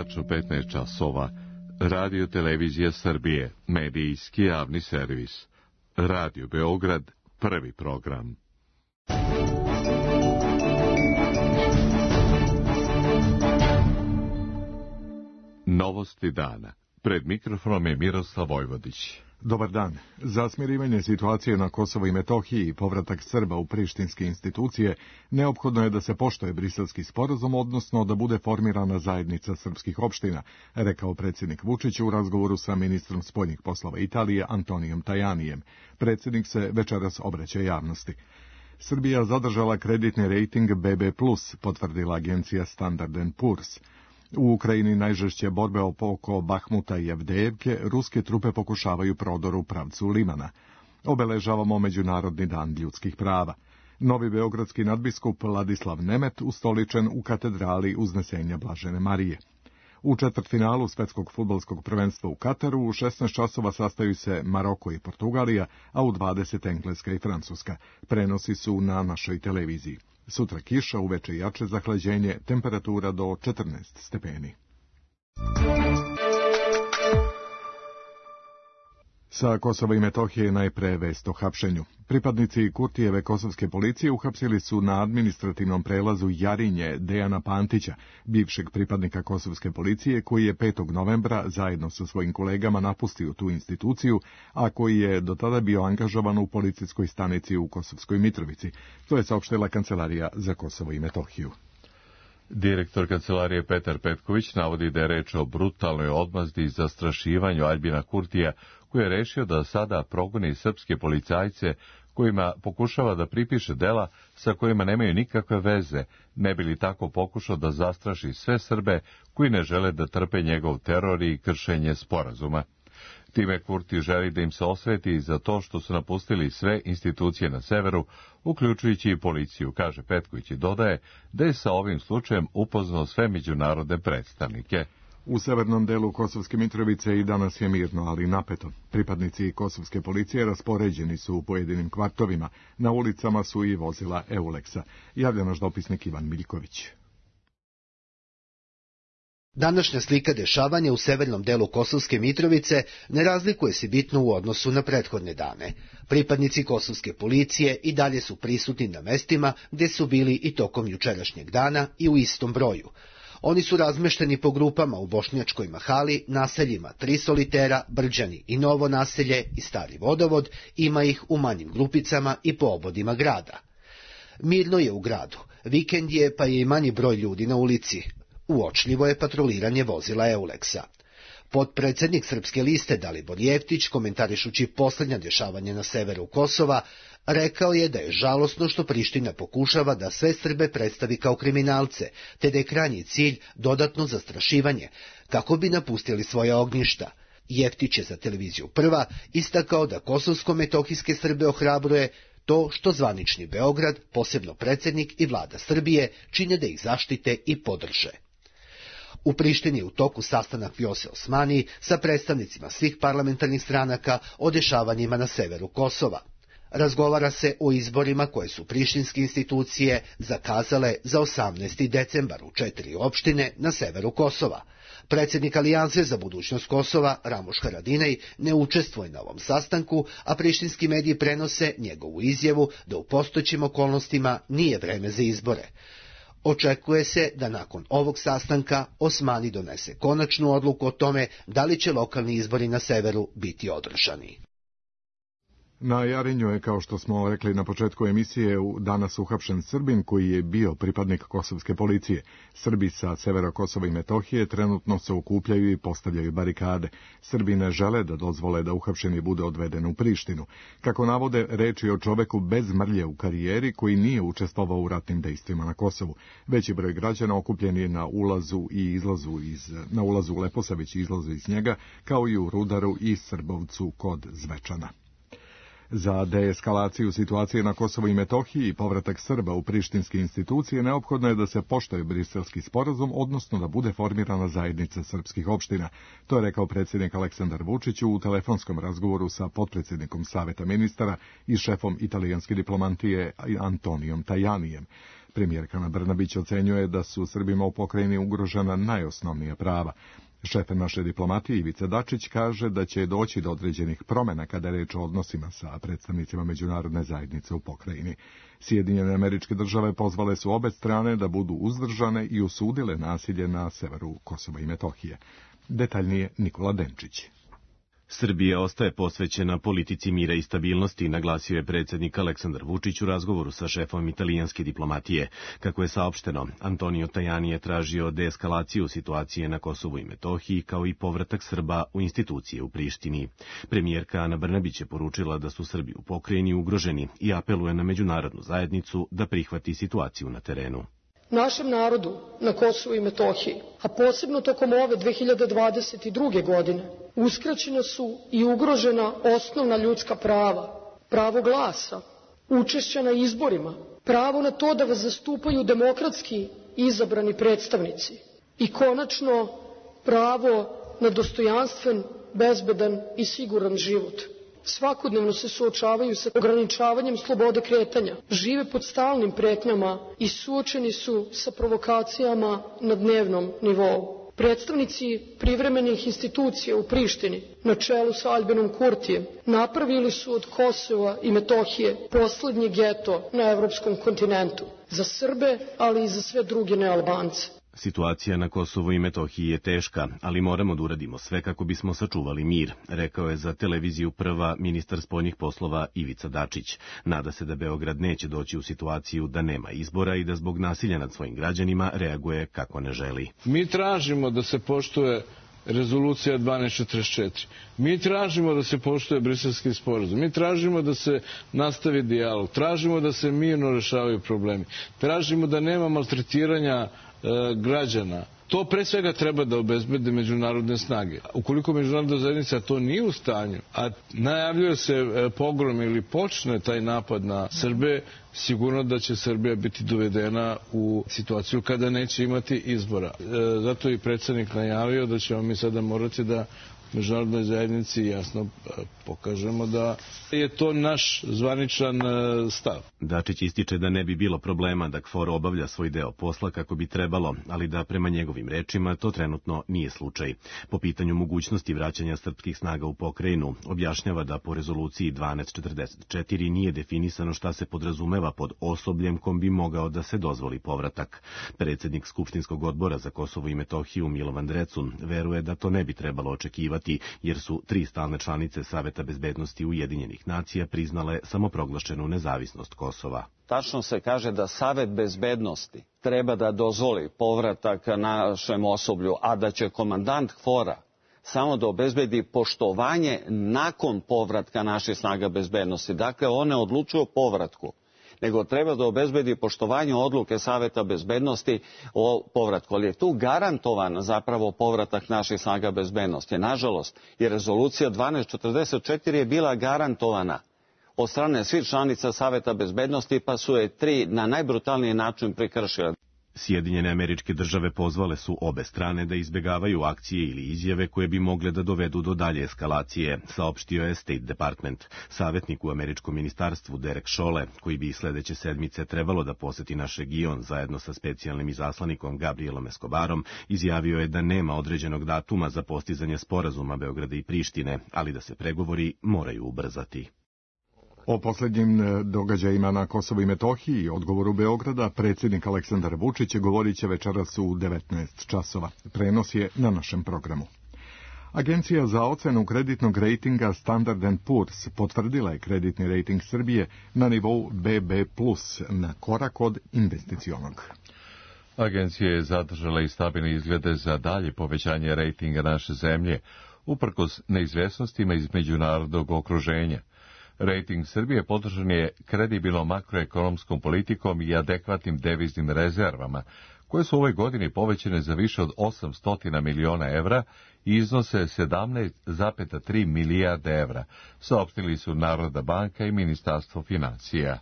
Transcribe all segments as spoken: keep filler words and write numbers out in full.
tačno petnaest časova. Radio Televizija Srbije, medijski javni servis. Radio Beograd, prvi program. Novosti dana. Pred mikrofonom je Miroslav Vojvodić. Dobar dan. Za smirivanje situacije na Kosovu i Metohiji i povratak Srba u prištinske institucije neophodno je da se poštuje Briselski sporazum, odnosno da bude formirana zajednica srpskih opština, rekao predsjednik Vučić u razgovoru sa ministrom spoljnih poslova Italije Antonijom Tajanijem. Predsjednik se večeras obraća javnosti. Srbija zadržala kreditni rejting be be plus, potvrdila agencija Standard and Poor's. U Ukrajini najžešće borbe oko Bahmuta i Avdejevke, ruske trupe pokušavaju prodor u pravcu Limana. Obeležavamo Međunarodni dan ljudskih prava. Novi beogradski nadbiskup Ladislav Nemet ustoličen u katedrali Uznesenja Blažene Marije. U četvrtfinalu svetskog fudbalskog prvenstva u Kataru u šesnaest časova sastaju se Maroko i Portugalija, a u dvadeset Engleska i Francuska. Prenosi su na našoj televiziji. Sutra kiša, uveče jače zahlađenje, temperatura do četrnaest stepeni. Sa Kosova i Metohije najpre vest o hapšenju. Pripadnici Kurtijeve kosovske policije uhapsili su na administrativnom prelazu Jarinje Dejana Pantića, bivšeg pripadnika kosovske policije, koji je petog novembra zajedno sa svojim kolegama napustio tu instituciju, a koji je do tada bio angažovan u policijskoj stanici u Kosovskoj Mitrovici. To je saopštila Kancelarija za Kosovo i Metohiju. Direktor kancelarije Petar Petković navodi da je reč o brutalnoj odmazdi i zastrašivanju Aljbina Kurtija, koji je rešio da sada progoni srpske policajce kojima pokušava da pripiše dela sa kojima nemaju nikakve veze, ne bi li tako pokušao da zastraši sve Srbe koji ne žele da trpe njegov teror i kršenje sporazuma. Time Kurti želi da im se osveti za to što su napustili sve institucije na severu, uključujući i policiju, kaže Petković i dodaje da je sa ovim slučajem upoznao sve međunarodne predstavnike. U severnom delu Kosovske Mitrovice i danas je mirno, ali napeto. Pripadnici kosovske policije raspoređeni su u pojedinim kvartovima. Na ulicama su i vozila Euleksa. Javlja naš dopisnik Ivan Miljković. Današnja slika dešavanja u severnom delu Kosovske Mitrovice ne razlikuje se bitno u odnosu na prethodne dane. Pripadnici kosovske policije i dalje su prisutni na mestima gde su bili i tokom jučerašnjeg dana i u istom broju. Oni su razmešteni po grupama u Bošnjačkoj Mahali, naseljima Tri Solitera, Brđani i Novo naselje i Stari Vodovod, ima ih u manjim grupicama i po obodima grada. Mirno je u gradu, vikend je pa je i manji broj ljudi na ulici. Uočljivo je patroliranje vozila Euleksa. Potpredsednik Srpske liste Dalibor Jeftić, komentarišući posljednja dešavanja na severu Kosova, rekao je da je žalosno što Priština pokušava da sve Srbe predstavi kao kriminalce, te da je krajnji cilj dodatno zastrašivanje, kako bi napustili svoja ognjišta. Jeftić je za televiziju Prva istakao da kosovsko-metohijske Srbe ohrabruje to što zvanični Beograd, posebno predsjednik i vlada Srbije, čine da ih zaštite i podrže. U Prištini je u toku sastanak Vjose Osmani sa predstavnicima svih parlamentarnih stranaka o dešavanjima na severu Kosova. Razgovara se o izborima koje su prištinske institucije zakazale za osamnaesti decembar u četiri opštine na severu Kosova. Predsjednik Alijanse za budućnost Kosova, Ramuš Haradinaj, ne učestvuje na ovom sastanku, a prištinski mediji prenose njegovu izjavu da u postojećim okolnostima nije vreme za izbore. Očekuje se da nakon ovog sastanka Osmani donese konačnu odluku o tome da li će lokalni izbori na severu biti održani. Na Jarinju je, kao što smo rekli na početku emisije, danas uhapšen Srbin koji je bio pripadnik kosovske policije. Srbi sa severa Kosova i Metohije trenutno se okupljaju i postavljaju barikade. Srbi ne žele da dozvole da uhapšeni bude odveden u Prištinu. Kako navode, reč je o čoveku bez mrlje u karijeri koji nije učestvovao u ratnim dejstvima na Kosovu. Veći broj građana okupljen je na ulazu i izlazu iz, na ulazu u Leposavić i izlazu iz njega, kao i u Rudaru i Srbovcu kod Zvečana. Za deeskalaciju situacije na Kosovu i Metohiji i povratak Srba u prištinske institucije neophodno je da se poštuje Briselski sporazum, odnosno da bude formirana zajednica srpskih opština. To je rekao predsjednik Aleksandar Vučić u telefonskom razgovoru sa potpredsjednikom Saveta ministara i šefom italijanske diplomatije Antonijom Tajanijem. Premijerka Ana Brnabić ocenjuje da su Srbima u pokrajini ugrožena najosnovnija prava. Šef naše diplomatije Ivica Dačić kaže da će doći do određenih promjena kada je reč o odnosima sa predstavnicima međunarodne zajednice u pokrajini. Sjedinjene Američke Države pozvale su obe strane da budu uzdržane i osudile nasilje na severu Kosova i Metohije. Detaljnije Nikola Denčić. Srbija ostaje posvećena politici mira i stabilnosti, naglasio je predsjednik Aleksandar Vučić u razgovoru sa šefom italijanske diplomatije. Kako je saopšteno, Antonio Tajani je tražio deeskalaciju situacije na Kosovu i Metohiji, kao i povratak Srba u institucije u Prištini. Premijerka Ana Brnabić je poručila da su Srbi u pokrajini ugroženi i apeluje na međunarodnu zajednicu da prihvati situaciju na terenu. Našem narodu na Kosovu i Metohiji, a posebno tokom ove dve hiljade dvadeset druge. godine, uskraćena su i ugrožena osnovna ljudska prava, pravo glasa, učešća na izborima, pravo na to da vas zastupaju demokratski izabrani predstavnici i konačno pravo na dostojanstven, bezbedan i siguran život. Svakodnevno se suočavaju sa ograničavanjem slobode kretanja, žive pod stalnim pretnjama i suočeni su sa provokacijama na dnevnom nivou. Predstavnici privremenih institucija u Prištini, na čelu sa Aljbinom Kurtijem, napravili su od Kosova i Metohije poslednji geto na evropskom kontinentu, za Srbe, ali i za sve druge nealbance. Situacija na Kosovu i Metohiji je teška, ali moramo da uradimo sve kako bismo sačuvali mir, rekao je za televiziju Prva ministar spoljnih poslova Ivica Dačić. Nada se da Beograd neće doći u situaciju da nema izbora i da zbog nasilja nad svojim građanima reaguje kako ne želi. Mi tražimo da se poštuje rezolucija dvanaest četrdeset četiri. Mi tražimo da se poštuje Briselski sporazum. Mi tražimo da se nastavi dijalog. Tražimo da se mirno rešavaju problemi. Tražimo da nema maltretiranja građana. To pre svega treba da obezbede međunarodne snage. Ukoliko međunarodna zajednica to nije u stanju, a najavljuje se pogrom ili počne taj napad na Srbe, sigurno da će Srbija biti dovedena u situaciju kada neće imati izbora. Zato i predsjednik najavio da ćemo mi sada morati da međunarodnoj zajednici jasno pokažemo da je to naš zvaničan stav. Dačić ističe da ne bi bilo problema da KFOR obavlja svoj deo posla kako bi trebalo, ali da prema njegovim rečima to trenutno nije slučaj. Po pitanju mogućnosti vraćanja srpskih snaga u pokrajinu, objašnjava da po rezoluciji dvanaest četrdeset četiri nije definisano šta se podrazumeva pod osobljem kom bi mogao da se dozvoli povratak. Predsjednik Skupštinskog odbora za Kosovo i Metohiju Milovan Drecun veruje da to ne bi trebalo očekivati, jer su tri stalne članice Saveta bezbednosti Ujedinjenih nacija priznale samoproglašenu nezavisnost Kosova. Tačno se kaže da Savet bezbednosti treba da dozvoli povratak našem osoblju, a da će komandant KFOR-a samo da obezbedi poštovanje nakon povratka naših snaga bezbednosti. Dakle, one odlučuju o povratku, nego treba da obezbedi poštovanje odluke Saveta bezbednosti o povratku. Ali je tu garantovan zapravo povratak naših snaga bezbednosti. Nažalost, i rezolucija dvanaest četrdeset četiri je bila garantovana od strane svih članica Saveta bezbednosti, pa su je tri na najbrutalniji način prekršile. Sjedinjene Američke Države pozvale su obe strane da izbjegavaju akcije ili izjave koje bi mogle da dovedu do dalje eskalacije, saopštio je State Department. Savjetnik u američkom ministarstvu Derek Chollet, koji bi sledeće sedmice trebalo da poseti naš region zajedno sa specijalnim izaslanikom Gabrielom Escobarom, izjavio je da nema određenog datuma za postizanje sporazuma Beograda i Prištine, ali da se pregovori moraju ubrzati. O posljednjim događajima na Kosovu i Metohiji i odgovoru Beograda predsjednik Aleksandar Vučić govorit će večeras u devetnaest časova. Prenos je na našem programu. Agencija za ocenu kreditnog rejtinga Standard and Poor's potvrdila je kreditni rejting Srbije na nivou be be plus, na korak od investicionog. Agencija je zadržala i stabilne izglede za dalje povećanje rejtinga naše zemlje, uprkos neizvjesnostima iz međunarodnog okruženja. Rejting Srbije podržan je kredibilnom makroekonomskom politikom i adekvatnim deviznim rezervama, koje su u ovoj godini povećane za više od osamsto miliona evra i iznose sedamnaest zarez tri milijarde evra, saopštili su Narodna banka i Ministarstvo financija.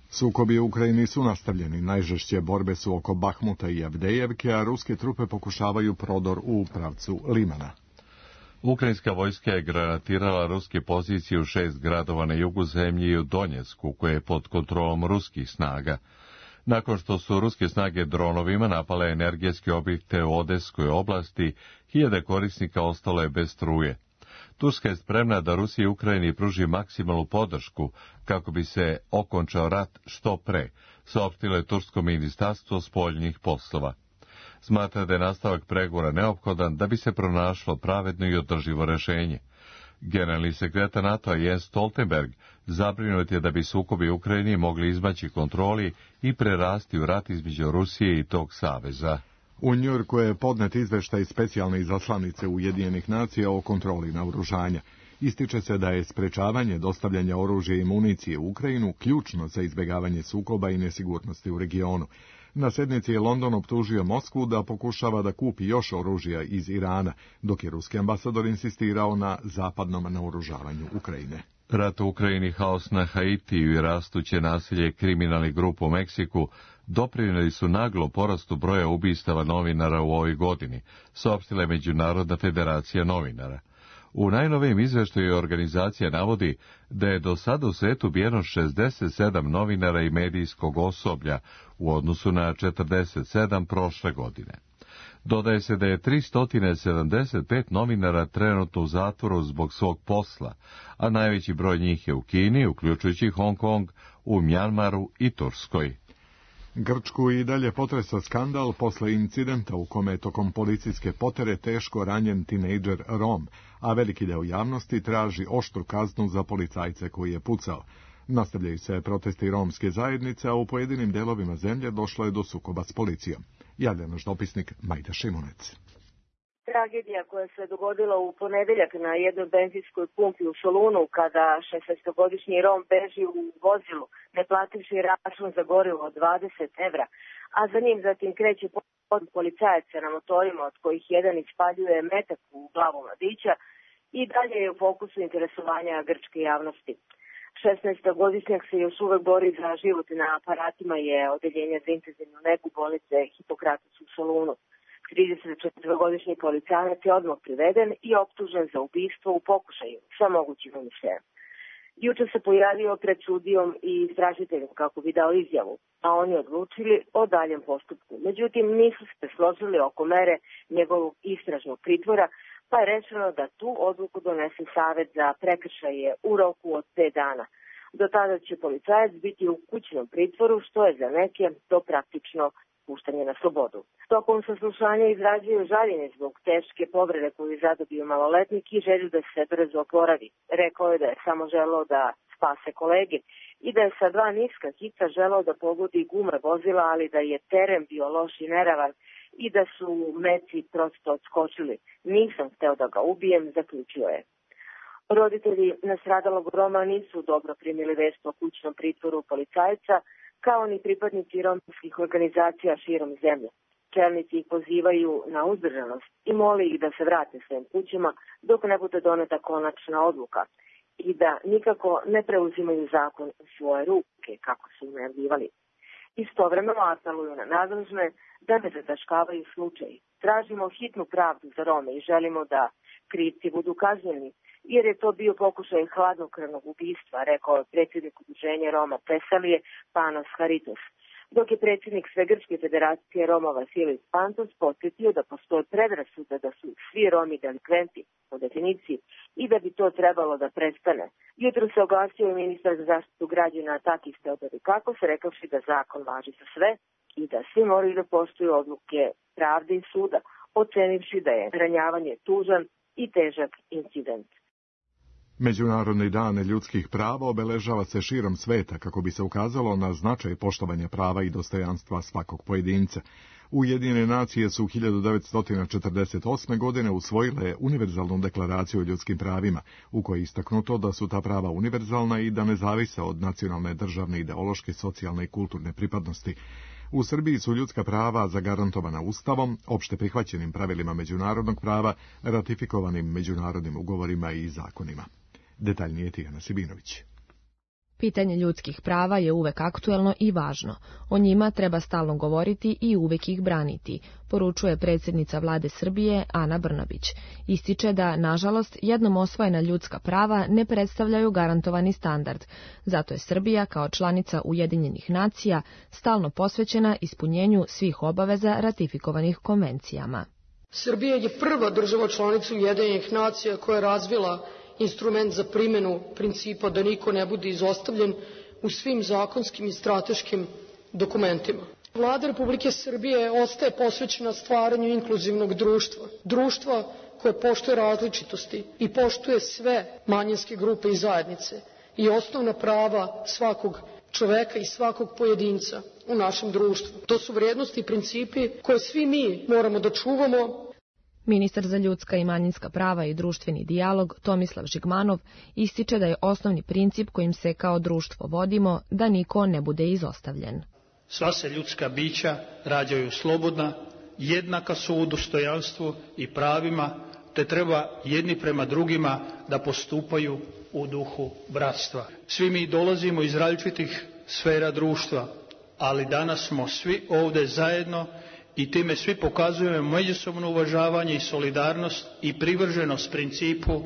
Sukobi u Ukrajini su nastavljeni. Najžešće borbe su oko Bahmuta i Avdejevke, a ruske trupe pokušavaju prodor u pravcu Limana. Ukrajinska vojska je granatirala ruske pozicije u šest gradova na jugu zemlje i u Donjecku, koje je pod kontrolom ruskih snaga. Nakon što su ruske snage dronovima napale energetske objekte u Odeskoj oblasti, hiljade korisnika ostalo je bez struje. Turska je spremna da Rusiji i Ukrajini pruži maksimalnu podršku kako bi se okončao rat što pre, saopštilo je tursko ministarstvo spoljnih poslova. Smatra da je nastavak pregovora neophodan da bi se pronašlo pravedno i održivo rešenje. Generalni sekretar NATO-a Jens Stoltenberg zabrinut je da bi sukobi u Ukrajini mogli izmaći kontroli i prerasti u rat između Rusije i tog saveza. U Njujorku je podnet izveštaj specijalne izaslanice Ujedinjenih nacija o kontroli naoružanja. Ističe se da je sprečavanje dostavljanja oružja i municije u Ukrajinu ključno za izbjegavanje sukoba i nesigurnosti u regionu. Na sednici je London optužio Moskvu da pokušava da kupi još oružja iz Irana, dok je ruski ambasador insistirao na zapadnom naoružavanju Ukrajine. Rat u Ukrajini, haos na Haitiju i rastuće nasilje kriminalnih grupa u Meksiku doprinijeli su naglo porastu broja ubistava novinara u ovoj godini, saopštila je Međunarodna federacija novinara. U najnovijem izveštaju organizacija navodi da je do sada u svetu ubijeno šezdeset sedam novinara i medijskog osoblja u odnosu na četrdeset sedam prošle godine. Dodaje se da je tristo sedamdeset pet novinara trenutno u zatvoru zbog svog posla, a najveći broj njih je u Kini, uključujući Hong Kong, u Mjanmaru i Turskoj. Grčku i dalje potresa skandal posle incidenta u kome je tokom policijske potere teško ranjen tinejdžer Rom, a veliki deo javnosti traži oštru kaznu za policajce koji je pucao. Nastavljaju se protesti romske zajednice, a u pojedinim delovima zemlje došlo je do sukoba s policijom. Javlja naš dopisnik Majda Šimunec. Tragedija koja se dogodila u ponedeljak na jednoj benzinskoj pumpi u Solunu, kada šesnaestogodišnji Rom beži u vozilu, ne plativši račun za gorivo od dvadeset evra, a za njim zatim kreće pod policajaca na motorima, od kojih jedan ispaljuje metak u glavu mladića, i dalje je u fokusu interesovanja grčke javnosti. šesnaestogodišnjak se još uvek bori za život na aparatima je odeljenja za intenzivnu negu bolnice Hipokratus u Solunu. trideset četvorogodišnji policajac je odmah priveden i optužen za ubistvo u pokušaju sa mogućim umišljajem. Juče se pojavio pred sudijom i istražiteljem kako bi dao izjavu, a oni odlučili o daljem postupku. Međutim, nisu se složili oko mere njegovog istražnog pritvora, pa je rečeno da tu odluku donese Savet za prekršaje u roku od pet dana. Do tada će policajac biti u kućnom pritvoru, što je za neke to praktično puštanje na slobodu. Tokom saslušanja izrađuju žaljenje zbog teške povrede koju je zadobio maloletnik i želju da se brzo oporavi. Rekao je da je samo želeo da spase kolege i da je sa dva niska hica želeo da pogodi gume vozila, ali da je teren bio loš i neravan i da su meci prosto odskočili. Nisam hteo da ga ubijem, zaključio je. Roditelji nastradalog Roma nisu dobro primili vest o kućnom pritvoru policajca, kao ni pripadnici romskih organizacija širom zemlje. Čelnici ih pozivaju na uzdržanost i moli ih da se vrate svojim kućama dok ne bude doneta konačna odluka i da nikako ne preuzimaju zakon u svoje ruke, kako su najavljivali. Istovremeno apeluju na nadležne da ne zataškavaju slučaj. Tražimo hitnu pravdu za Rome i želimo da krivci budu kažnjeni, jer je to bio pokušaj hladnokrvnog ubistva, rekao je predsjednik udruženja Roma Tesalije, Panos Haritos. Dok je predsjednik Svegrčke federacije Roma Vasilijus Pantos podsjetio da postoje predrasude da su svi Romi delikventi po definiciji i da bi to trebalo da prestane. Jutro se oglasio i ministar za zaštitu građana Takis Theodorikakos, rekavši da zakon važi za sve i da svi moraju da poštuju odluke pravde i suda, ocenivši da je ranjavanje tužan i težak incident. Međunarodni dan ljudskih prava obeležava se širom sveta kako bi se ukazalo na značaj poštovanja prava i dostojanstva svakog pojedinca. Ujedinjene nacije su hiljadu devetsto četrdeset osme. godine usvojile univerzalnu deklaraciju o ljudskim pravima, u kojoj je istaknuto da su ta prava univerzalna i da ne zavise od nacionalne, državne, ideološke, socijalne i kulturne pripadnosti. U Srbiji su ljudska prava zagarantovana Ustavom, opšte prihvaćenim pravilima međunarodnog prava, ratifikovanim međunarodnim ugovorima i zakonima. Detaljnije Tijana Sibinović. Pitanje ljudskih prava je uvek aktuelno i važno. O njima treba stalno govoriti i uvek ih braniti, poručuje predsjednica vlade Srbije Ana Brnabić. Ističe da, nažalost, jednom osvojena ljudska prava ne predstavljaju garantovani standard. Zato je Srbija, kao članica Ujedinjenih nacija, stalno posvećena ispunjenju svih obaveza ratifikovanih konvencijama. Srbija je prva država članica Ujedinjenih nacija koja je razvila instrument za primjenu principa da niko ne bude izostavljen u svim zakonskim i strateškim dokumentima. Vlada Republike Srbije ostaje posvećena stvaranju inkluzivnog društva, društva koje poštuje različitosti i poštuje sve manjinske grupe i zajednice i osnovna prava svakog čoveka i svakog pojedinca u našem društvu. To su vrijednosti i principi koje svi mi moramo da čuvamo. Ministar za ljudska i manjinska prava i društveni dijalog Tomislav Žigmanov ističe da je osnovni princip kojim se kao društvo vodimo da niko ne bude izostavljen. Sva se ljudska bića rađaju slobodna, jednaka su u dostojanstvu i pravima, te treba jedni prema drugima da postupaju u duhu bratstva. Svi mi dolazimo iz različitih sfera društva, ali danas smo svi ovde zajedno i time svi pokazujemo međusobno uvažavanje i solidarnost i privrženost principu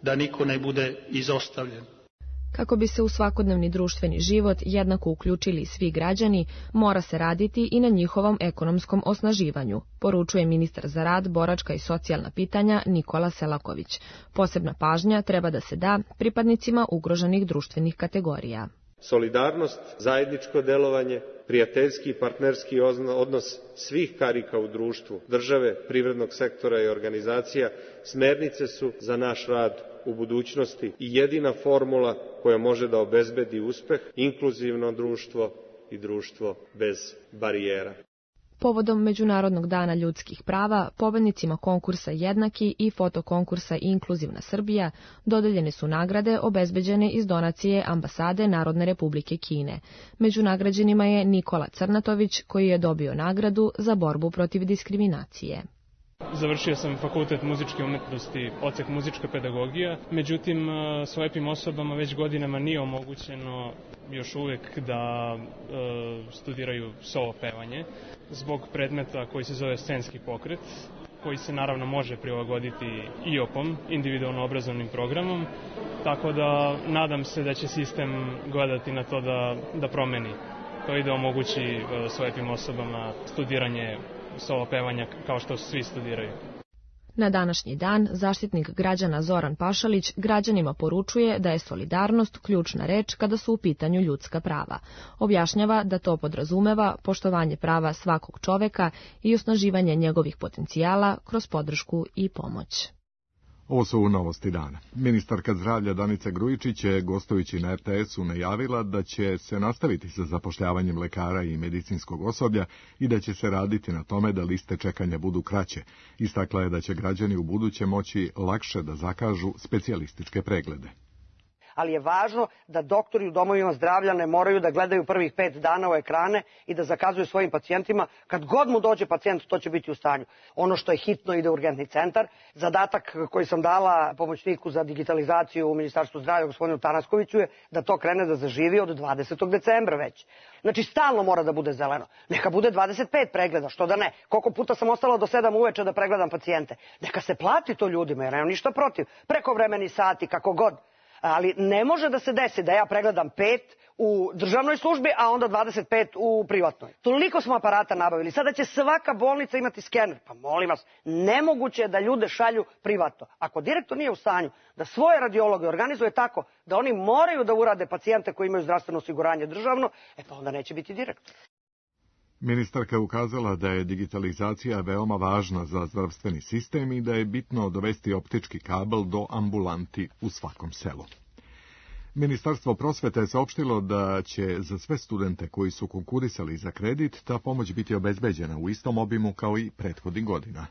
da niko ne bude izostavljen. Kako bi se u svakodnevni društveni život jednako uključili svi građani, mora se raditi i na njihovom ekonomskom osnaživanju, poručuje ministar za rad, boračka i socijalna pitanja Nikola Selaković. Posebna pažnja treba da se da pripadnicima ugroženih društvenih kategorija. Solidarnost, zajedničko delovanje, prijateljski i partnerski odnos svih karika u društvu, države, privrednog sektora i organizacija, smernice su za naš rad u budućnosti i jedina formula koja može da obezbedi uspeh, inkluzivno društvo i društvo bez barijera. Povodom Međunarodnog dana ljudskih prava, pobednicima konkursa Jednaki i fotokonkursa Inkluzivna Srbija dodeljene su nagrade obezbeđene iz donacije Ambasade Narodne Republike Kine. Među nagrađenima je Nikola Crnatović, koji je dobio nagradu za borbu protiv diskriminacije. Završio sam fakultet muzičke umetnosti, odsek muzička pedagogija, međutim slepim osobama već godinama nije omogućeno još uvek da e, studiraju solo pevanje zbog predmeta koji se zove scenski pokret, koji se naravno može prilagoditi i o pom, individualno obrazovnim programom, tako da nadam se da će sistem gledati na to da, da promeni to i da omogući e, slepim osobama studiranje solo pevanja kao što svi studiraju. Na današnji dan zaštitnik građana Zoran Pašalić građanima poručuje da je solidarnost ključna reč kada su u pitanju ljudska prava. Objašnjava da to podrazumeva poštovanje prava svakog čoveka i osnaživanje njegovih potencijala kroz podršku i pomoć. Ovo su novosti dana. Ministarka zdravlja Danica Grujičić je, gostujući na er te esu, najavila da će se nastaviti sa zapošljavanjem lekara i medicinskog osoblja i da će se raditi na tome da liste čekanja budu kraće. Istakla je da će građani u buduće moći lakše da zakažu specijalističke preglede. Ali je važno da doktori u domovima zdravlja ne moraju da gledaju prvih pet dana u ekrane i da zakazuju svojim pacijentima. Kad god mu dođe pacijent, to će biti u stanju. Ono što je hitno ide u urgentni centar. Zadatak koji sam dala pomoćniku za digitalizaciju u Ministarstvu zdravlja, gospodinu Tanaskoviću, je da to krene da zaživi od dvadesetog decembra već. Znači, stalno mora da bude zeleno. Neka bude dvadeset pet pregleda, što da ne. Koliko puta sam ostala do sedam uveče da pregledam pacijente. Neka se plati to ljudima, jer nemam ništa protiv. Prekovremeni sati, kako god. Ali ne može da se desi da ja pregledam pet u državnoj službi, a onda dvadeset pet u privatnoj. Toliko smo aparata nabavili. Sada će svaka bolnica imati skener. Pa molim vas, nemoguće je da ljude šalju privatno. Ako direktor nije u stanju da svoje radiologe organizuje tako da oni moraju da urade pacijente koji imaju zdravstveno osiguranje državno, e pa onda neće biti direktor. Ministarka je ukazala da je digitalizacija veoma važna za zdravstveni sistem i da je bitno dovesti optički kabel do ambulanti u svakom selu. Ministarstvo prosvete je saopštilo da će za sve studente koji su konkurisali za kredit ta pomoć biti obezbeđena u istom obimu kao i prethodnih godina.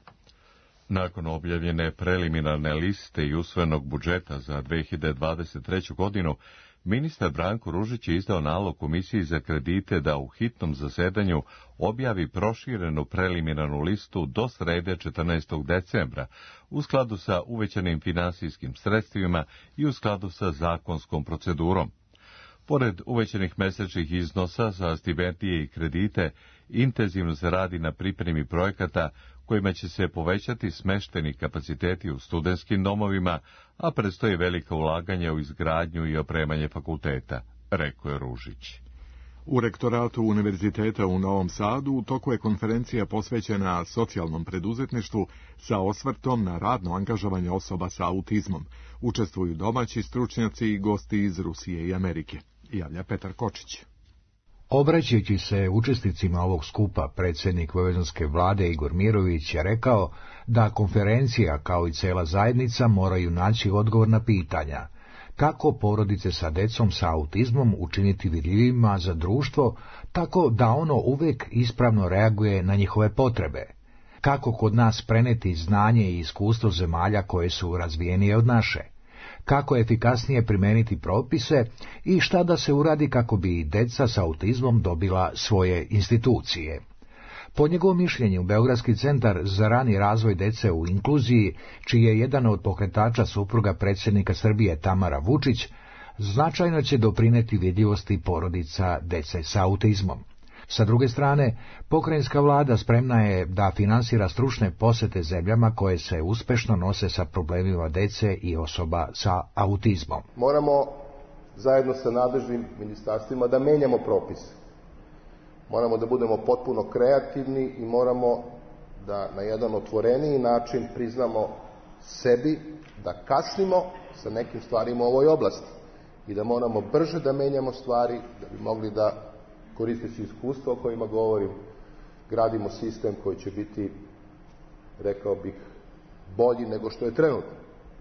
Nakon objavljene preliminarne liste i usvojenog budžeta za dve hiljade dvadeset treću. godinu, ministar Branko Ružić je izdao nalog Komisiji za kredite da u hitnom zasedanju objavi proširenu preliminarnu listu do srede četrnaestog decembra, u skladu sa uvećanim finansijskim sredstvima i u skladu sa zakonskom procedurom. Pored uvećanih mesečnih iznosa za stipendije i kredite, intenzivno se radi na pripremi projekata kojima će se povećati smešteni kapaciteti u studentskim domovima, a predstoji velika ulaganja u izgradnju i opremanje fakulteta, rekao je Ružić. U rektoratu Univerziteta u Novom Sadu u toku je konferencija posvećena socijalnom preduzetništvu sa osvrtom na radno angažovanje osoba sa autizmom. Učestvuju domaći stručnjaci i gosti iz Rusije i Amerike. Javlja Petar Kočić. Obraćajući se učesnicima ovog skupa, predsjednik vojvođanske vlade Igor Mirović je rekao da konferencija kao i cela zajednica moraju naći odgovor na pitanja kako porodice sa decom sa autizmom učiniti vidljivima za društvo, tako da ono uvek ispravno reaguje na njihove potrebe, kako kod nas preneti znanje i iskustvo zemalja koje su razvijenije od naše, kako efikasnije primeniti propise i šta da se uradi kako bi deca sa autizmom dobila svoje institucije. Po njegovom mišljenju, Beogradski centar za rani razvoj dece u inkluziji, čiji je jedan od pokretača supruga predsjednika Srbije Tamara Vučić, značajno će doprineti vidljivosti porodica dece sa autizmom. Sa druge strane, pokrajinska vlada spremna je da finansira stručne posete zemljama koje se uspešno nose sa problemima dece i osoba sa autizmom. Moramo zajedno sa nadležnim ministarstvima da menjamo propise. Moramo da budemo potpuno kreativni i moramo da na jedan otvoreniji način priznamo sebi da kasnimo sa nekim stvarima u ovoj oblasti i da moramo brže da menjamo stvari da bi mogli da, koristeći iskustvo o kojima govorim, gradimo sistem koji će biti, rekao bih, bolji nego što je trenutno.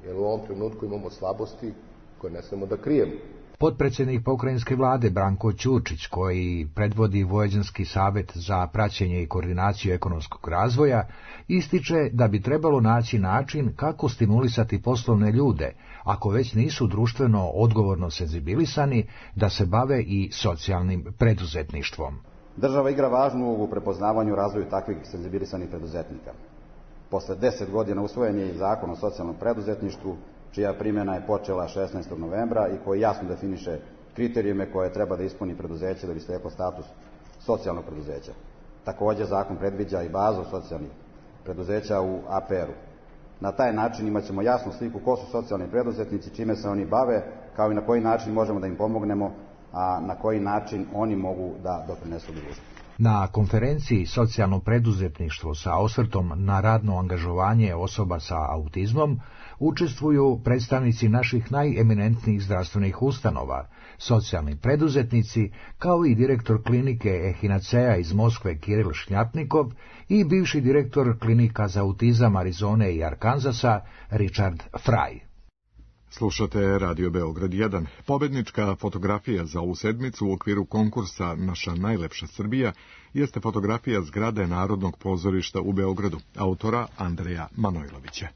Jer u ovom trenutku imamo slabosti koje ne smemo da krijemo. Potpredsjednik pokrajinske vlade Branko Ćurčić, koji predvodi Vojvođanski savet za praćenje i koordinaciju ekonomskog razvoja, ističe da bi trebalo naći način kako stimulisati poslovne ljude, ako već nisu društveno odgovorno senzibilisani, da se bave i socijalnim preduzetništvom. Država igra važnu ulogu u prepoznavanju i razvoju takvih senzibilisanih preduzetnika. Posle deset godina usvojen je i Zakon o socijalnom preduzetništvu, čija primjena je počela šesnaestog novembra i koji jasno definiše kriterijume koje treba da ispuni preduzeće da bi steklo status socijalnog preduzeća. Takođe, zakon predviđa i bazu socijalnih preduzeća u A P R-u. Na taj način imat ćemo jasnu sliku ko su socijalni preduzetnici, čime se oni bave, kao i na koji način možemo da im pomognemo, a na koji način oni mogu da doprinesu društvu. Na konferenciji Socijalno preduzetništvo sa osvrtom na radno angažovanje osoba sa autizmom učestvuju predstavnici naših najeminentnijih zdravstvenih ustanova, socijalni preduzetnici, kao i direktor klinike Ehinacea iz Moskve Kiril Šnjapnikov i bivši direktor klinika za autizam Arizone i Arkanzasa Richard Fraj. Slušate Radio Beograd jedan. Pobednička fotografija za ovu sedmicu u okviru konkursa Naša najlepša Srbija jeste fotografija zgrade Narodnog pozorišta u Beogradu, autora Andreja Manojlovića.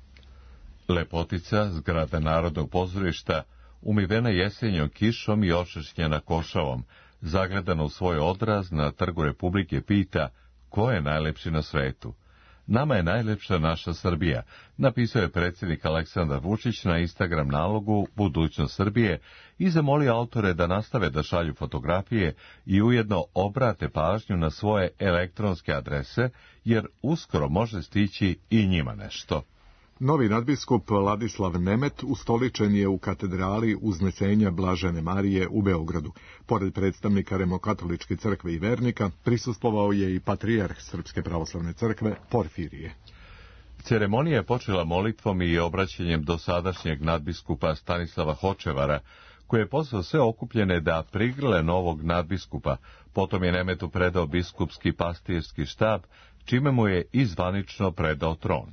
Lepotica zgrade Narodnog pozorišta, umivena jesenjom kišom i očešćena košavom, zagledana u svoj odraz na Trgu Republike, pita ko je najlepši na svetu. Nama je najlepša naša Srbija, napisao je predsjednik Aleksandar Vučić na Instagram nalogu Budućnost Srbije i zamolio autore da nastave da šalju fotografije i ujedno obrate pažnju na svoje elektronske adrese, jer uskoro može stići i njima nešto. Novi nadbiskup Ladislav Nemet ustoličen je u katedrali Uznesenja Blažene Marije u Beogradu. Pored predstavnika Rimokatoličke crkve i vernika, prisustvovao je i patrijarh Srpske pravoslavne crkve Porfirije. Ceremonija je počela molitvom i obraćanjem dosadašnjeg nadbiskupa Stanislava Hočevara, koji je pozvao sve okupljene da prigrle novog nadbiskupa. Potom je Nemetu predao biskupski pastirski štab, čime mu je i zvanično predao tron.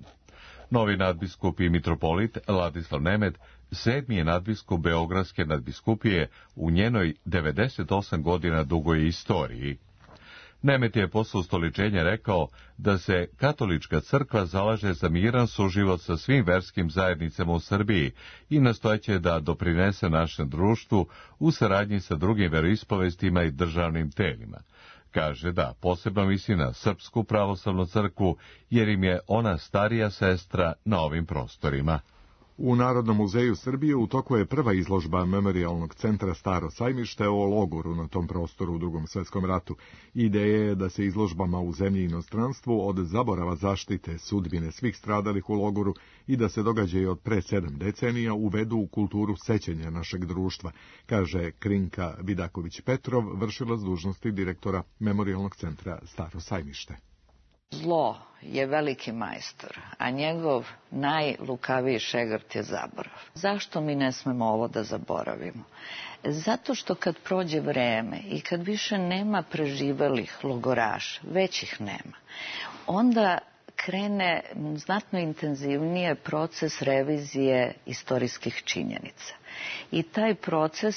Novi nadbiskup i mitropolit Ladislav Nemet sedmi je nadbiskup Beogradske nadbiskupije u njenoj devedeset osam godina dugoj istoriji. Nemet je posle ustoličenja rekao da se katolička crkva zalaže za miran suživot sa svim verskim zajednicama u Srbiji i nastojeće da doprinese našem društvu u saradnji sa drugim veroispovestima i državnim telima. Kaže da posebno misli na Srpsku pravoslavnu crkvu, jer im je ona starija sestra na ovim prostorima. U Narodnom muzeju Srbije u toku je prva izložba Memorijalnog centra Staro sajmište o logoru na tom prostoru u Drugom svetskom ratu. Ideja je da se izložbama u zemlji i inostranstvu od zaborava zaštite sudbine svih stradalih u logoru i da se događaji od pre sedam decenija uvedu u kulturu sećanja našeg društva, kaže Krinka Vidaković-Petrov, vršilac dužnosti direktora Memorijalnog centra Staro sajmište. Zlo je veliki majstor, a njegov najlukaviji šegrt je zaborav. Zašto mi ne smemo ovo da zaboravimo? Zato što kad prođe vreme i kad više nema preživelih logoraša, već ih nema, onda krene znatno intenzivnije proces revizije istorijskih činjenica. I taj proces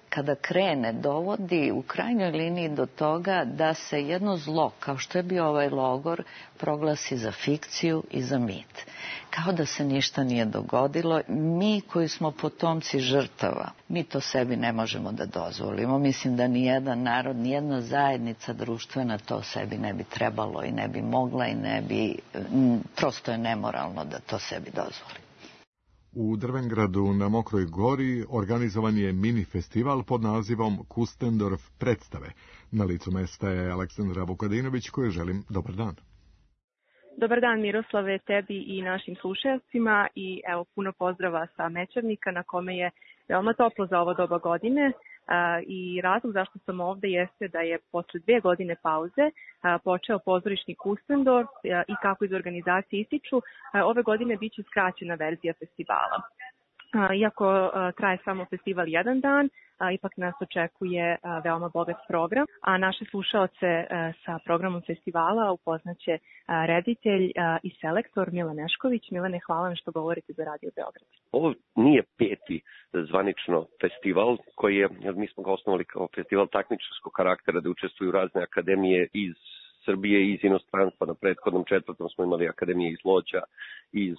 kada krene, dovodi u krajnjoj liniji do toga da se jedno zlo, kao što je bio ovaj logor, proglasi za fikciju i za mit. Kao da se ništa nije dogodilo. Mi koji smo potomci žrtava, mi to sebi ne možemo da dozvolimo. Mislim da nijedan narod, nijedna zajednica društvena to sebi ne bi trebalo i ne bi mogla i ne bi, prosto je nemoralno da to sebi dozvoli. U Drvengradu na Mokroj Gori organizovan je mini festival pod nazivom Kustendorf predstave. Na licu mesta je Aleksandra Vukadinović, kojoj želim dobar dan. Dobar dan Miroslave, tebi i našim slušalcima i evo puno pozdrava sa Mečevnika na kome je veoma toplo za ovo doba godine. I razlog zašto sam ovde jeste da je posle dve godine pauze počeo pozorišni Kustendorf i kako iz organizacije ističu, ove godine biće skraćena verzija festivala. Iako traje samo festival jedan dan, ipak nas očekuje veoma bogat program, a naše slušaoce sa programom festivala upoznaće reditelj i selektor Milan Nešković. Milane, hvala vam što govorite za Radio Beograd. Ovo nije peti zvanično festival koji je, mi smo ga osnovali kao festival takmičarskog karaktera da učestvuju razne akademije iz Srbije i iz inostranstva. Na prethodnom četvrtom smo imali akademije iz Lođa, iz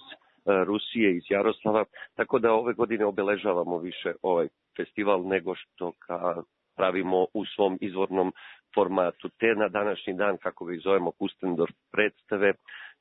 Rusije, iz Jaroslava, tako da ove godine obeležavamo više ovaj festival nego što ga pravimo u svom izvornom formatu. Te na današnji dan, kako ga zovemo Kustendorf predstave,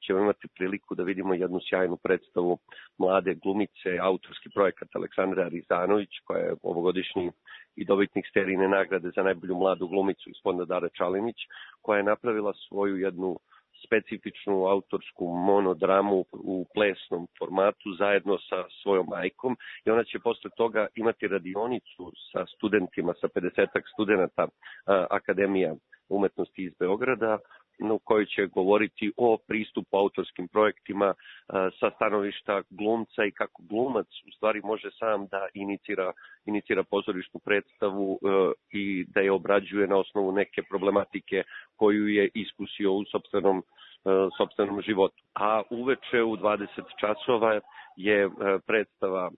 ćemo imati priliku da vidimo jednu sjajnu predstavu mlade glumice, autorski projekat Aleksandra Rizanović, koja je ovogodišnji i dobitnik Sterine nagrade za najbolju mladu glumicu iz fonda Dara Čalinić, koja je napravila svoju jednu specifičnu autorsku monodramu u plesnom formatu zajedno sa svojom majkom i ona će posle toga imati radionicu sa studentima, sa pedesetak studenata Akademija umetnosti iz Beograda, u kojoj će govoriti o pristupu autorskim projektima sa stanovišta glumca i kako glumac u stvari može sam da inicira, inicira pozorišnu predstavu i da je obrađuje na osnovu neke problematike koju je iskusio u sopstvenom, sopstvenom životu. A uveče u dvadeset časova je predstava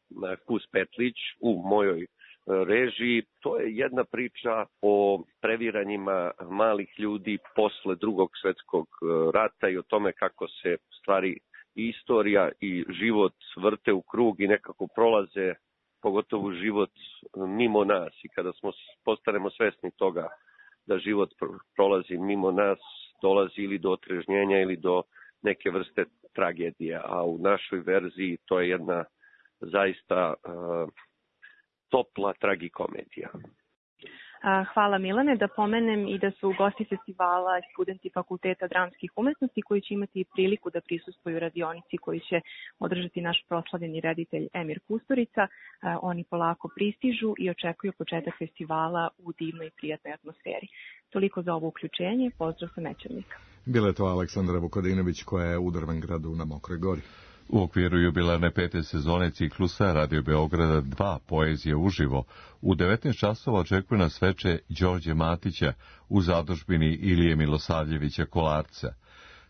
Kus Petlić u mojoj režiji. To je jedna priča o previranjima malih ljudi posle Drugog svetskog rata i o tome kako se stvari i istorija i život vrte u krug i nekako prolaze, pogotovo život mimo nas, i kada smo postanemo svesni toga da život prolazi mimo nas, dolazi ili do otrežnjenja ili do neke vrste tragedije, a u našoj verziji to je jedna zaista uh, topla tragikomedija. Hvala Milane. Da pomenem i da su gosti festivala studenti Fakulteta dramskih umetnosti koji će imati priliku da prisustvuju radionici koji će održati naš proslavljeni reditelj Emir Kusturica. Oni polako pristižu i očekuju početak festivala u divnoj i prijatnoj atmosferi. Toliko za ovo uključenje. Pozdrav sa Mečevnika. Bila je to Aleksandra Vukadinović koja je u Drvengradu na Mokroj Gori. U okviru jubilarne pete sezone ciklusa Radio Beograda dva Poezije uživo u devetnaest časova očekuje nas veče Đorđe Matića u zadužbini Ilije Milosavljevića Kolarca.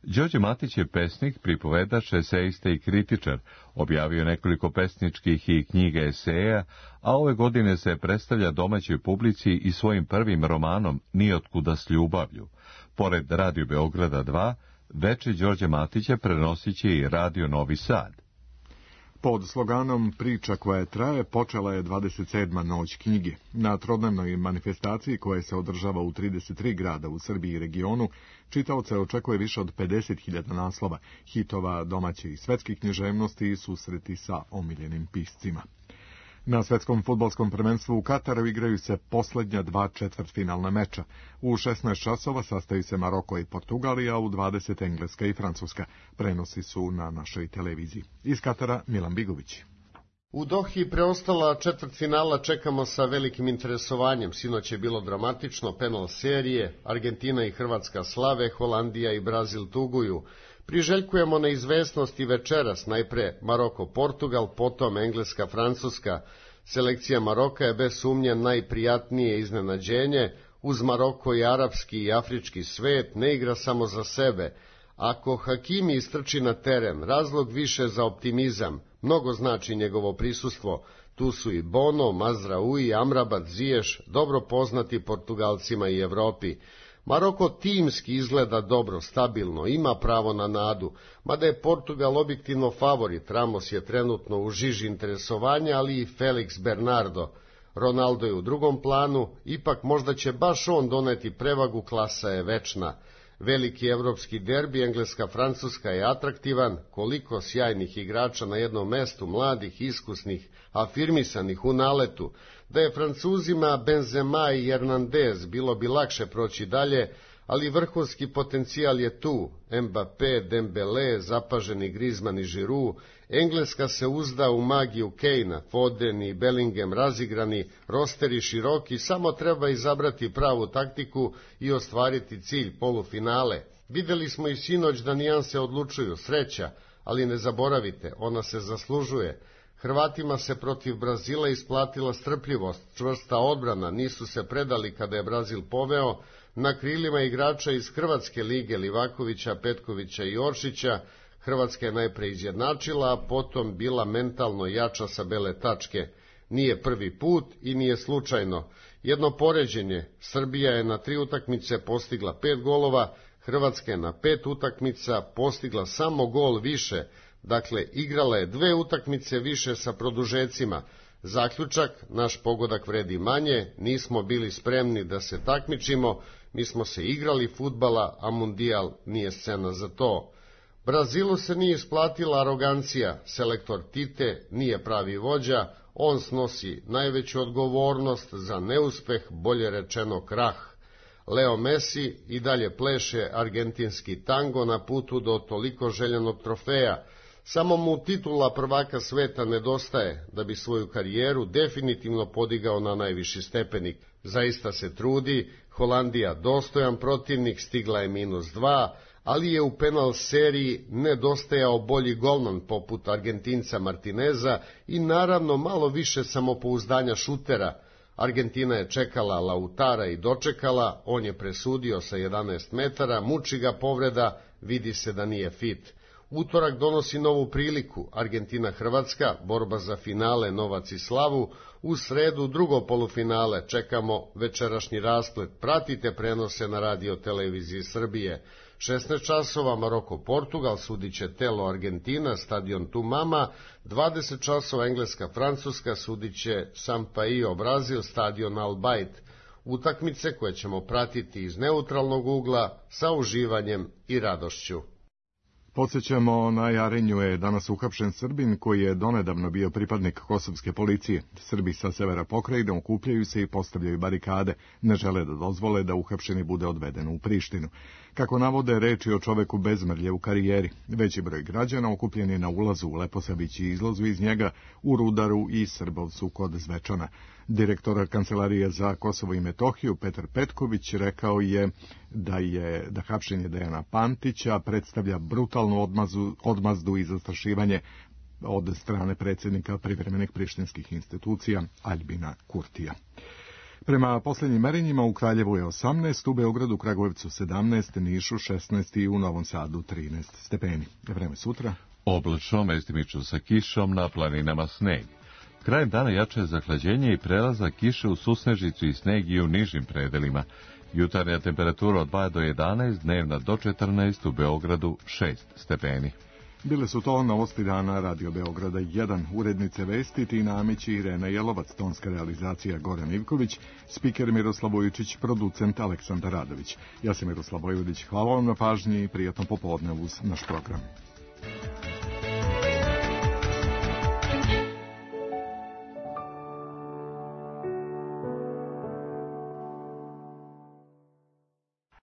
Đorđe Matić je pesnik, pripovedač, esejista i kritičar, objavio nekoliko pesničkih i knjiga eseja, a ove godine se predstavlja domaćoj publici i svojim prvim romanom Nijotkuda s ljubavlju. Pored Radio Beograda dva, veče Đorđe Matića prenosit će i Radio Novi Sad. Pod sloganom Priča koja traje počela je dvadeset sedma noć knjige. Na trodnevnoj manifestaciji koja se održava u trideset tri grada u Srbiji i regionu, čitaoce očekuje više od pedeset hiljada naslova, hitova domaće i svetske književnosti i susreti sa omiljenim piscima. Na svetskom fudbalskom prvenstvu u Kataru igraju se poslednja dva četvrtfinalna meča. U šesnaest časova sastaju se Maroko i Portugalija, a u dvadeset Engleska i Francuska. Prenosi su na našoj televiziji. Iz Katara Milan Bigović. U Dohi preostala četvrtfinala čekamo sa velikim interesovanjem. Sinoć je bilo dramatično, penal serije, Argentina i Hrvatska slave, Holandija i Brazil tuguju. Priželjkujemo neizvesnost i večeras, najpre Maroko-Portugal, potom Engleska-Francuska. Selekcija Maroka je bez sumnje najprijatnije iznenađenje. Uz Maroko i arapski i afrički svet ne igra samo za sebe. Ako Hakimi istrči na teren, razlog više za optimizam, mnogo znači njegovo prisustvo. Tu su i Bono, Mazraoui, Amrabat, Ziyech, dobro poznati Portugalcima i Evropi. Maroko timski izgleda dobro, stabilno, ima pravo na nadu, mada je Portugal objektivno favorit. Ramos je trenutno u žiži interesovanja, ali i Felix Bernardo. Ronaldo je u drugom planu, ipak možda će baš on doneti prevagu, klasa je večna. Veliki evropski derbi, Engleska-Francuska je atraktivan, koliko sjajnih igrača na jednom mestu, mladih, iskusnih, afirmisanih u naletu. Da je Francuzima Benzema i Hernandez, bilo bi lakše proći dalje, ali vrhunski potencijal je tu. Mbappé, Dembele, zapaženi Griezmann i Giroud. Engleska se uzda u magiju Kejna, Foden i Bellingham razigrani, rosteri široki, samo treba izabrati pravu taktiku i ostvariti cilj polufinale. Videli smo i sinoć da nijanse odlučuju, sreća, ali ne zaboravite, ona se zaslužuje. Hrvatima se protiv Brazila isplatila strpljivost, čvrsta odbrana, nisu se predali kada je Brazil poveo. Na krilima igrača iz Hrvatske lige Livakovića, Petkovića i Oršića, Hrvatska je najpre izjednačila, a potom bila mentalno jača sa bele tačke. Nije prvi put i nije slučajno. Jedno poređenje, Srbija je na tri utakmice postigla pet golova, Hrvatska je na pet utakmica postigla samo gol više, dakle igrala je dve utakmice više sa produžecima. Zaključak, naš pogodak vredi manje, nismo bili spremni da se takmičimo, mi smo se igrali fudbala, a mundijal nije scena za to. Brazilu se nije isplatila arogancija, selektor Tite nije pravi vođa, on snosi najveću odgovornost za neuspeh, bolje rečeno krah. Leo Messi i dalje pleše argentinski tango na putu do toliko željenog trofeja. Samo mu titula prvaka sveta nedostaje da bi svoju karijeru definitivno podigao na najviši stepenik. Zaista se trudi, Holandija dostojan protivnik, stigla je minus dva, ali je u penal seriji nedostajao bolji golman poput Argentinca Martineza i naravno malo više samopouzdanja šutera. Argentina je čekala Lautara i dočekala, on je presudio sa jedanaest metara, muči ga povreda, vidi se da nije fit. Utorak donosi novu priliku, Argentina-Hrvatska, borba za finale, novac i slavu, u sredu drugo polufinale, čekamo večerašnji rasplet, pratite prenose na radio televiziji Srbije. šesnaest časova Maroko-Portugal, sudit će Telo Argentina, stadion Tumama, dvadeset časova Engleska-Francuska, sudit će Sampaio Brazil, stadion Al Bayt. Utakmice koje ćemo pratiti iz neutralnog ugla sa uživanjem i radošću. Podsjećamo, na Jarinju je danas uhapšen Srbin koji je donedavno bio pripadnik kosovske policije. Srbi sa severa pokrajine okupljaju se i postavljaju barikade, ne žele da dozvole da uhapšeni bude odveden u Prištinu. Kako navode, reč je o čoveku bez mrlje u karijeri. Veći broj građana okupljen je na ulazu u Leposavić i izlazu iz njega, u Rudaru i Srbovcu kod Zvečana. Direktor Kancelarije za Kosovo i Metohiju Petar Petković rekao je da je da hapšenje Dejana Pantića predstavlja brutalnu odmazu, odmazdu i zastrašivanje od strane predsjednika privremenih prištinskih institucija Aljbina Kurtija. Prema posljednjim merenjima u Kraljevu je osamnaest, u Beogradu, Kragujevcu sedamnaest, Nišu šesnaest i u Novom Sadu trinaest stepeni. Vreme sutra? Oblačno, mestimično sa kišom, na planinama sneg. Krajem dana jače zahlađenje i prelazak kiše u susnežicu i sneg i u nižim predelima. Jutarnja temperatura od dva do jedanaest, dnevna do četrnaest, u Beogradu šest stepeni. Bile su to novosti dana Radio Beograda jedan, urednice vesti Tina Amić i Irena Jelovac, tonska realizacija Goran Ivković, spiker Miroslav Vujičić, producent Aleksandar Radović. Ja sam Miroslav Vojvodić, hvala vam na pažnji i prijatno popodne uz naš program.